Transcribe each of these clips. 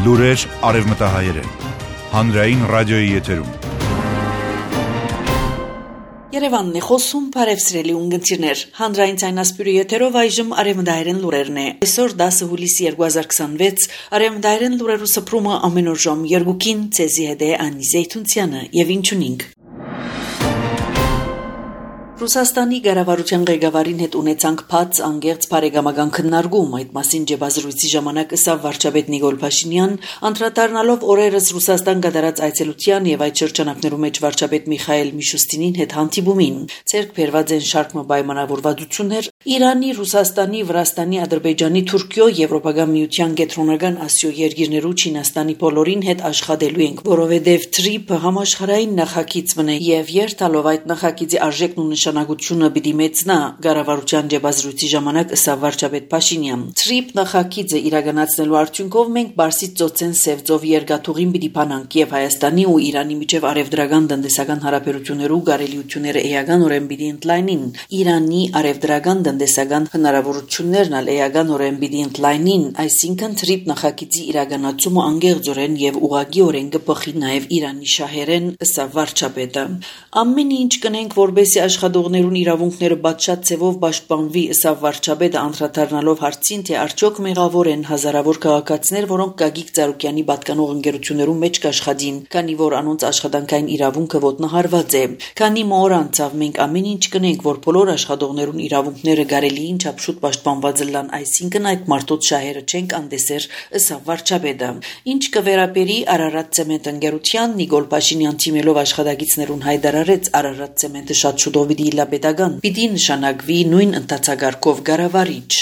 Լուրեր արևմտահայերեն, հանրային ռադիոյի եթերում։ Երևանն է խոսում, բարևսրելի ունգընտիրներ, հանրային ցայնասպյուրի եթերով այժմ արևմտահայերեն լուրերն է։ Այսօր 10 հուլիսի 2026 արևմտահայերեն լուրերու սփռումը ամեն օր ժամ 2-ին ցեզի հետ է Անի Զեյթունցյանը եւ ինչունինք։ Ռուսաստանի ղեկավարության ղեկավարին հետ ունեցանք բաց անգերց բարեկամական քննարկում, այդ մասին ջեբազրույցի ժամանակ ըսավ վարչապետ Նիկոլ Փաշինյան, անդրադառնալով օրերս Ռուսաստան կատարած այցելության եւ այդ շրջանակներում մեջ վարչապետ Միխայել Միշուստինին հետ հանդիպումին, ցերկ բերված են շարք պայմանավորվածություններ Իրանի, Ռուսաստանի, Վրաստանի, Ադրբեջանի, Թուրքիո, Եվրոպական միության կենտրոնական Ասիո երկիրներու Չինաստանի բոլորին հետ աշխատելու ենք, որովհետեւ TRIP համաշխարհային նախագիծ մնե եւ երթալով այդ նախագիծի արժեքն ու նշանակությունը պիտի մեծնա ղեկավարության ջեբազրույցի ժամանակ ըսավ վարչապետ Փաշինյան TRIP նախագիծը իրականացնելու արդյունքով մենք Բարսից ծոցեն Սևծով երկաթուղին պիտի փանանք եւ Հայաստանի ու Իրանի միջև արևդրական տնտեսական հարաբերություններու գարելիությունները էականորեն պիտի ընդլայնին Իրանի արևդրական տնտեսական հնարավորություններն ալ էականորեն պիտի ընդլայնին, այսինքն TRIP նախագիծի իրականացումը անգեղծորեն եւ ուղղակիորեն կփոխի նաեւ Իրանի շահերեն ըսավ վարչապետը ամեն ինչ կնենք որբեսի աշխատողներուն իրավունքները բացշատ ցևով պաշտպանվի ըսավ վարչապետը անդրադառնալով հարցին թե արդյոք մեղավոր են հազարավոր քաղաքացիներ որոնք Գագիկ Ծառուկյանի պատկանող ընկերություններում մեջ կաշխատին քանի որ անոնց աշխատանքային իրավունքը ոտնահարված է քանի մոր անցավ մենք ամեն ինչ կնենք որ բոլոր աշխատողներուն իրավունքները գարելիին չափշուտ պաշտպանված լան այսինքն այդ մարդոց շահերը չենք անդեսեր ըսավ վարչապետը ինչ կվերապերի Արարատ ցեմենտ ընկերության Նիկոլ Փաշինյան թիմելով աշխատակիցներուն հայտարարեց Արարատ ցեմենտը շատ շուտով պիտի նշանակվի նույն ընթացագարկով գարավարիչ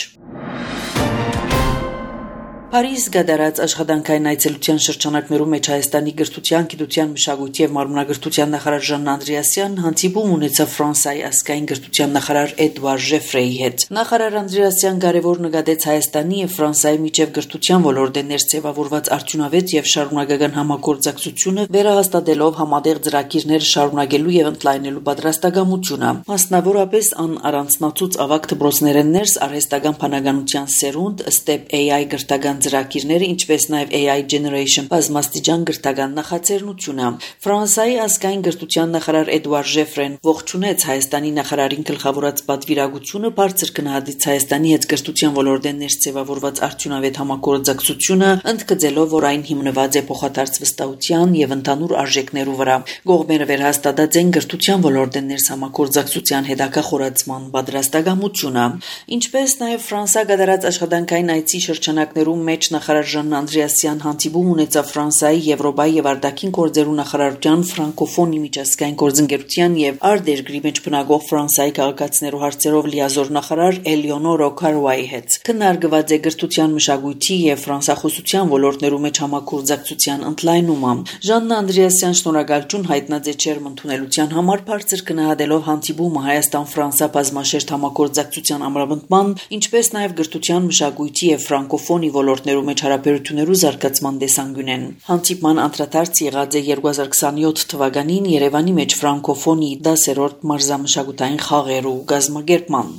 Փարիզ գդարած աշխատանքային այցելության շրջանակներում մեջ Հայաստանի գրթության, գիտության, մշակույթի եւ մարմնագրթության նախարար Ժանն Անդրեասյան հանդիպում ունեցավ Ֆրանսիայի ազգային գրթության նախարար Էդուարդ Ժեֆրեի հետ։ Նախարար Անդրեասյան կարևոր նկատեց Հայաստանի եւ Ֆրանսիայի միջև գրթության ոլորտի ներծևավորված արդյունավետ եւ շարունակական համագործակցությունը վերահաստատելով համատեղ ծրագիրներ շարունակելու եւ ընդլայնելու պատրաստակամությունը։ Մասնավորապես ան առանձնացուց ավագ դպրոցներեն ներս արհեստական բանականության սերունդ Step AI գրթական ծրագիրները, ինչպես նաև AI Generation բազմաստիճան գրթական նախաձեռնությունը։ Ֆրանսիայի ազգային գրթության նախարար Էդուարդ Ժեֆրեն ողջունեց Հայաստանի նախարարին գլխավորած պատվիրակությունը, բարձր գնահատեց Հայաստանի հետ գրթության ոլորտի ներծևավորված արդյունավետ համագործակցությունը, ընդգծելով, որ այն հիմնված է փոխադարձ վստահության եւ ընդհանուր արժեքներու վրա։ Կողմերը վերահաստատած են գրթության ոլորտի ներս համագործակցության հետաքախորացման պատրաստակամությունը, ինչպես նաև Ֆրանսիա գդարած աշխատանքային այցի շրջանակներում մեջ նախարար Ժանն Անդրեասյան հանդիպում ունեցավ Ֆրանսիայի, Եվրոպայի եւ արտաքին գործերու նախարարության ֆրանկոֆոնի միջազգային գործընկերության եւ արտերկրի մեջ բնակող Ֆրանսիայի քաղաքացիներու հարցերով լիազոր նախարար Էլեոնոր Օքարուայի հետ։ Քննարկված է գրթության, մշակույթի եւ ֆրանսախոսության ոլորտներու մեջ համագործակցության ընդլայնումը։ Ժանն Անդրեասյան շնորհակալություն հայտնած է չերմ ընդունելության համար, բարձր գնահատելով հանդիպումը Հայաստան-Ֆրանսիա բազմաշերտ համագործակցության ամրապնդման, ինչպես նաեւ գրթության, մշակույթի եւ ֆրանկոֆոնի ոլորտներու մեջ հարաբերություններու զարգացման տեսանկյունեն։ Հանդիպման անդրադարձ եղած է 2027 թվականին Երևանի մեջ ֆրանկոֆոնի 10-րդ մարզամշակութային խաղերու կազմակերպման։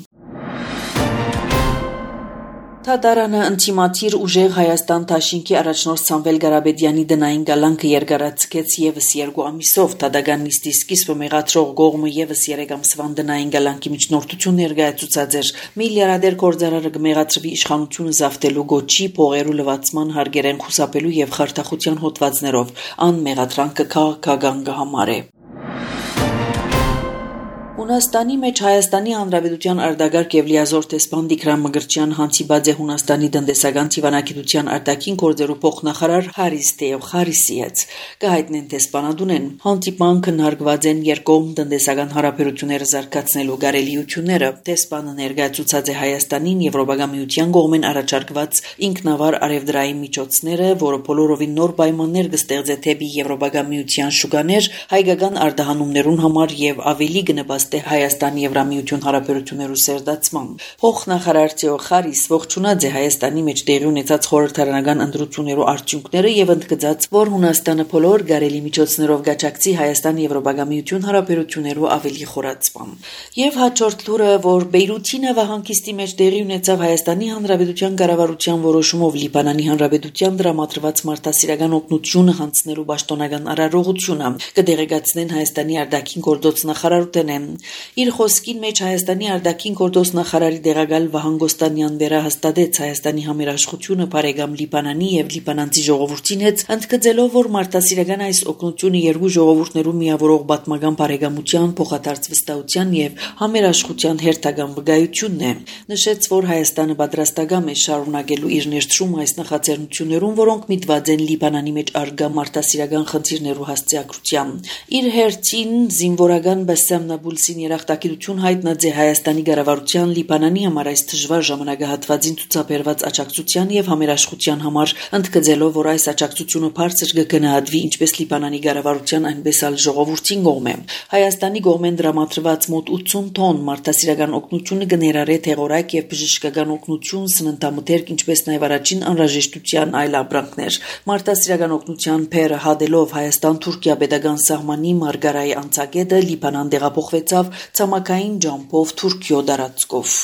Թադարանը ինտիմատիր ուժեղ Հայաստան Թաշինքի առաջնորդ Սամվել Գարաբեդյանի դնային գալանքը երկարացկեց եւս 2 ամիսով Թադագան նիստի սկիզբը մեղադրող կողմը եւս 3 ամսվան դնային գալանքի միջնորդություն ներկայացուցած էր միլիարդեր գործարարը կմեղադրվի իշխանությունը զավթելու գոչի փողերու լվացման հարգերեն խուսափելու եւ խարդախության հոդվածներով ան մեղադրանքը քաղաքական կհամարե Հունաստանի մեջ Հայաստանի Հանրապետության արտագաղթ եւ լիազոր տեսփան Տիգրան Մկրտչյան հանդիպած է Հունաստանի տնտեսական դիվանագիտության արտաքին գործերու փոխնախարար Հարիս Թեոխարիսի հետ։ Կհայտնեն տեսփանադունեն հանդիպման քննարկված են երկկողմ տնտեսական հարաբերությունները զարգացնելու գարելիությունները։ Տեսփանը ներկայացուցած է Հայաստանին Եվրոպական միության կողմեն առաջարկված ինքնավար արևդրային միջոցները, որը բոլորովին նոր պայմաններ կստեղծե թեպի Եվրոպական միության շուկաներ հայկական արտահանումներուն համար եւ ավելի կնպաստի նպաստ է Հայաստանի Եվրամիություն հարաբերություններու սերդացման։ Փոխնախարար Թեոխարիս ողջունած է Հայաստանի մեջ տեղի ունեցած խորհրդարանական ընտրություններու արդյունքները եւ ընդգծած, որ Հունաստանը բոլոր գարելի միջոցներով գաչակցի Հայաստանի Եվրոպագամիություն հարաբերություններու ավելի խորացման։ Եվ հաջորդ լուրը, որ Բեյրութի նավահանգիստի մեջ տեղի ունեցավ Հայաստանի Հանրապետության կառավարության որոշումով Լիբանանի Հանրապետության դրամատրված մարդասիրական օգնությունը հանձնելու պաշտոնական արարողությունը կդեղեկացնեն Հայաստանի արտաքին գործոց նախարարութենեն։ Իր խոսքին մեջ Հայաստանի արտաքին գործոց նախարարի դեղակալ Վահան Գոստանյան վերահաստատեց Հայաստանի համերաշխությունը բարեկամ Լիբանանի եւ լիբանանցի ժողովրդին հետ, ընդգծելով, որ մարդասիրական այս օգնությունը երկու ժողովուրդներու միավորող պատմական բարեկամության, փոխադարձ վստահության եւ համերաշխության հերթական վկայությունն է։ Նշեց, որ Հայաստանը պատրաստական է շարունակելու իր ներդրումը այս նախաձեռնություններուն, որոնք միտված են Լիբանանի մեջ արգա մարդասիրական խնդիրներու հասցեակրությամբ։ Իր հերթին զինվորական Բասամ Նաբուլսին երախտագիտություն հայտնած է Հայաստանի կառավարության Լիբանանի համար այս դժվար ժամանակահատվածին ցուցաբերված աջակցության եւ համերաշխության համար, ընդգծելով, որ այս աջակցությունը բարձր կգնահատվի ինչպես Լիբանանի կառավարության, այնպես էլ ժողովրդին կողմէ։ Հայաստանի կողմեն դրամատրված մոտ 80 տոն մարդասիրական օգնությունը կներառե թեղորակ եւ բժշկական օգնություն, սննդամթերք, ինչպես նաեւ առաջին անհրաժեշտության այլ ապրանքներ։ Մարդասիրական օգնության փերը հադելով Հայաստան-Թուրքիա պետական սահմանի Մարգարայի անցագետը Լիբանան տեղափոխվեցավ ցամաքային ջամփով Թուրքիո դարածքով։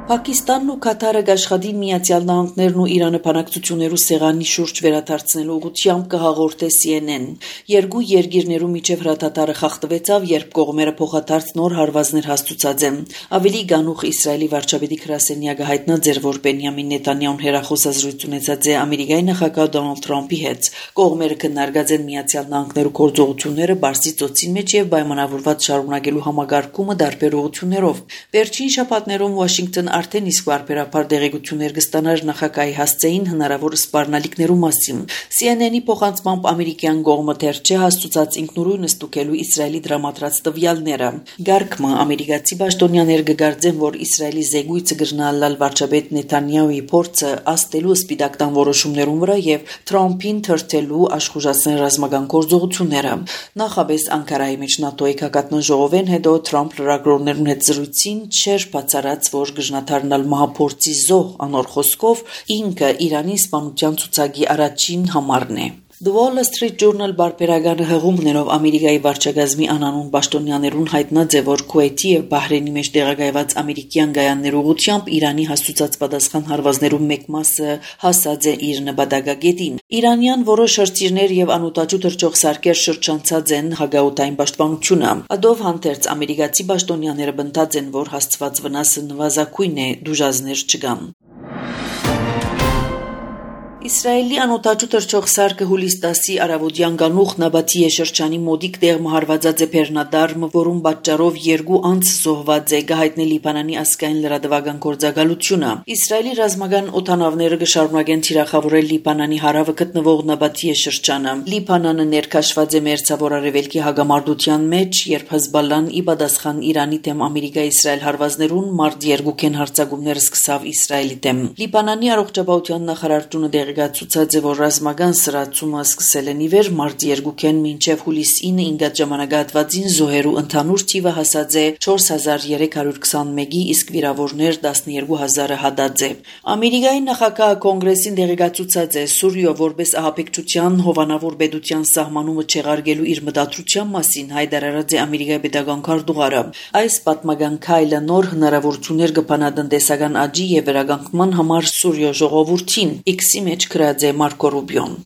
Պակիստանն ու Կատարը աշխատին Միացյալ Նահանգներն ու Իրանը բանակցություններու սեղանի շուրջ վերադարձնելու ուղղությամբ կհաղորդե CNN։ Երկու երկիրներու միջև հրաթաթարը խախտվեցավ, երբ կողմերը փոխադարձ նոր հարվածներ հաստուցած են։ Ավելի գանուխ Իսրայելի վարչապետի գրասենյակը հայտնած էր, որ Բենյամին Նետանյահուն հերախոսազրույց ունեցած է Ամերիկայի նախագահ Դոնալդ Թրամփի հետ։ Կողմերը քննարկած են Միացյալ Նահանգներու գործողությունները Պարսից ծոցին մեջ եւ պայմանավորված շարունակելու համագարկումը տարբեր ուղղություններով։ Վերջին շաբաթներում Վաշինգտոն արդեն իսկ բարբերաբար դեղեցություններ կստանար նախագահի հասցեին հնարավոր սպառնալիքներու մասին։ CNN-ի փոխանցմամբ ամերիկյան կողմը դեռ չէ հաստուցած ինքնուրույն ստուգելու Իսրայելի դրամատրած տվյալները։ Գարկմը ամերիկացի պաշտոնյաներ կգարձեն, որ Իսրայելի զեկույցը կրնալալ վարչապետ Նեթանյահուի փորձը աստելու սպիտակտան որոշումներուն վրա եւ Թրամփին թրթելու աշխուժացնել ռազմական գործողությունները։ Նախաբես Անկարայի մեջ ՆԱՏՕ-ի քակատնան ժողովեն հետո Թրամփ լրագրողներուն հետ զրույցին չէր բացառած, որ դառնալ մահափորձի զոհ, անոր խոսքով ինքը Իրանի սպանության ցուցակի առաջին համարն է։ The Wall Street Journal բարբերական հղումներով Ամերիկայի վարչակազմի անանուն պաշտոնյաներուն հայտնած է, որ Քուվեյթի եւ Բահրեյնի մեջ տեղակայված ամերիկյան գայաններու ուղղությամբ Իրանի հաստուցած պատասխան հարվածներու մեկ մասը հասած է իր նպատակագետին։ Իրանյան որոշ հրթիռներ եւ անօտաչու թռչող սարքեր շրջանցած են հագաուտային պաշտպանությունը։ Ադով հանդերձ ամերիկացի պաշտոնյաները բնդած են, որ հասցված վնասը նվազագույն է, դժուժներ չկան։ Իսրայելի անօտաչու թռչող սարքը հուլիս 10-ի արավոտյան գանուխ Նաբաթի շրջանի մոդիկ տեղ մահարվածած է Բեռնադարմ, որում պատճառով երկու անձ զոհված է, գահիտնի Լիբանանի ասկային լրատվական գործակալությունը։ Իսրայելի ռազմական օդանավները կշարունակեն թիրախավորել Լիբանանի հարավը գտնվող Նաբաթի շրջանը։ Լիբանանը ներքաշված է մերձավոր արևելքի հագամարտության մեջ, երբ Հեզբալլան ի պատասխան Իրանի դեմ Ամերիկա-Իսրայել հարվածներուն մարտ 2-ին հարձակումներ սկսավ Իսրայելի դեմ։ Լիբանանի առողջապահության նախարարությունը ցուցած է, որ ռազմական սրացումը սկսել են ի վեր մարտ 2-ին մինչև հուլիս 9-ին ինգած ժամանակահատվածին զոհերու ընդհանուր թիվը հասած է 4321-ի, իսկ վիրավորներ 12000-ը հադած է։ Ամերիկայի նախագահը կոնգրեսին դեղեկացուցած է Սուրիո որպես ահաբեկչության հովանավոր պետության սահմանումը չեղարկելու իր մտադրության մասին հայտարարած է Ամերիկայի պետական քարտուղարը։ Այս պատմական քայլը նոր հնարավորություններ կբանա տնտեսական աճի եւ վերականգնման համար Սուրիո ժողովրդին։ X-ի մեջ գրած է Մարկո Ռուբիոն։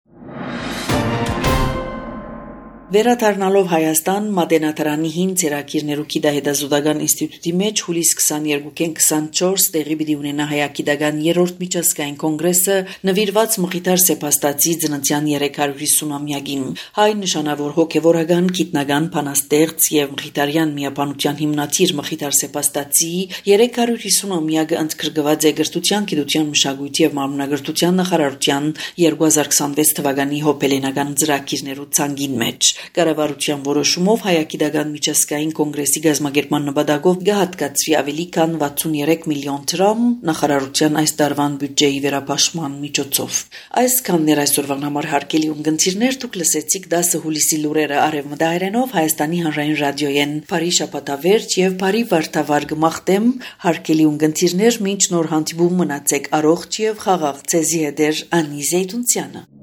Վերադառնալով Հայաստան, Մատենադարանի 5 ցերակիրներու գիտահետազոտական ինստիտուտի մեջ հուլիս 22-ին 24 տեղի պիտի ունենա հայագիտական 3-րդ միջազգային կոնգրեսը նվիրված Մխիթար Սեփաստացի ծննդյան 350-ամյակին։ Հայ նշանավոր հոգևորական, գիտնական, բանաստեղծ եւ Մխիթարյան միաբանության հիմնադիր Մխիթար Սեփաստացի 350-ամյակը ընդգրկված է Գրթության, Գիտության, Մշակույթի եւ Մարմնագրթության նախարարության 2026 թվականի հոբելենական ծրագիրներու ցանկին մեջ։ Կառավարության որոշումով Հայագիտական միջազգային կոնգրեսի գազམ་ագերման նպատակով կհատկացվի ավելի քան 63 միլիոն դրամ նախարարության այս տարվան բյուջեի վերապաշտման միջոցով։ Այսքանն էր այսօրվան համար հարգելի ունգընտիրներ, դուք լսեցիք 10 հուլիսի լուրերը արևմտահայերենով Հայաստանի հանրային ռադիոյեն։ Բարի շաբաթավերջ եւ բարի վարդավառ գմախտեմ հարգելի ունգընտիրներ, մինչ նոր հանդիպում մնացեք առողջ եւ խաղաղ ցեզի հետ Անի Զեյթունցյանը։